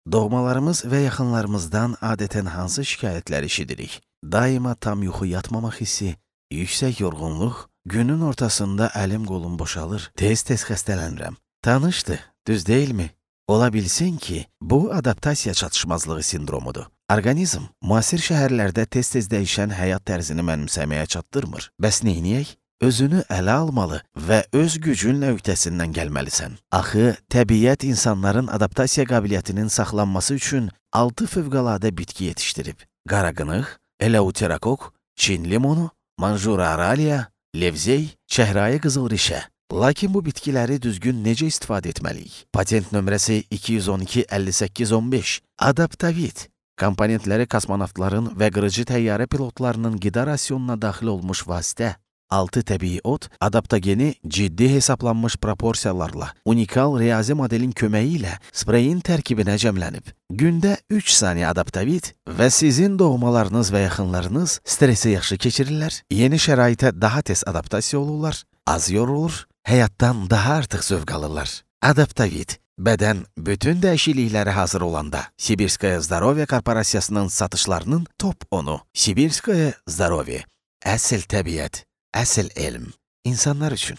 Doğmalarımız və yaxınlarımızdan adətən hansı şikayətlər eşidirik? Daima tam yuxu yatmamaq hissi, yüksək yorğunluq, günün ortasında əlim qolum boşalır, tez-tez xəstələnirəm. Tanışdı, düz deyilmi? Ola bilsin ki, bu adaptasiya çatışmazlığı sindromudur. Orqanizm müasir şəhərlərdə tez-tez dəyişən həyat tərzini mənimsəməyə çatdırmır. Bəs neyniyək? Özünü ələ almalı və öz gücünlə öhdəsindən gəlməlisən. Axı, təbiət insanların adaptasiya qabiliyyətinin saxlanması üçün 6 fövqəladə bitki yetişdirib. Qaraqınıq, eleuterakok, Çin limonu, manjura araliya, levzey, çəhrayı qızılrişə. Lakin bu bitkiləri düzgün necə istifadə etməliyik? Patent nömrəsi 212-58-15. Adaptavit. Komponentləri kosmonavtların və qırıcı təyyarə pilotlarının qida rasionuna daxil olmuş vasitə. 6 təbii ot, adaptogeni ciddi hesablanmış proporsiyalarla, unikal riyazi modelin köməyi ilə spreyin tərkibinə cəmlənib. Gündə 3 saniyə adaptavit və sizin doğmalarınız və yaxınlarınız stresi yaxşı keçirirlər, yeni şəraitə daha tez adaptasiya olurlar, az yorulur, həyatdan daha artıq zövq alırlar. Adaptavit. Bədən bütün dəyişikliklərə hazır olanda Sibirskaya Zdoroviya Korporasiyasının satışlarının top 10-u. Sibirskaya Zdoroviya. Əsl təbiət. Əsl elm, insanlar üçün.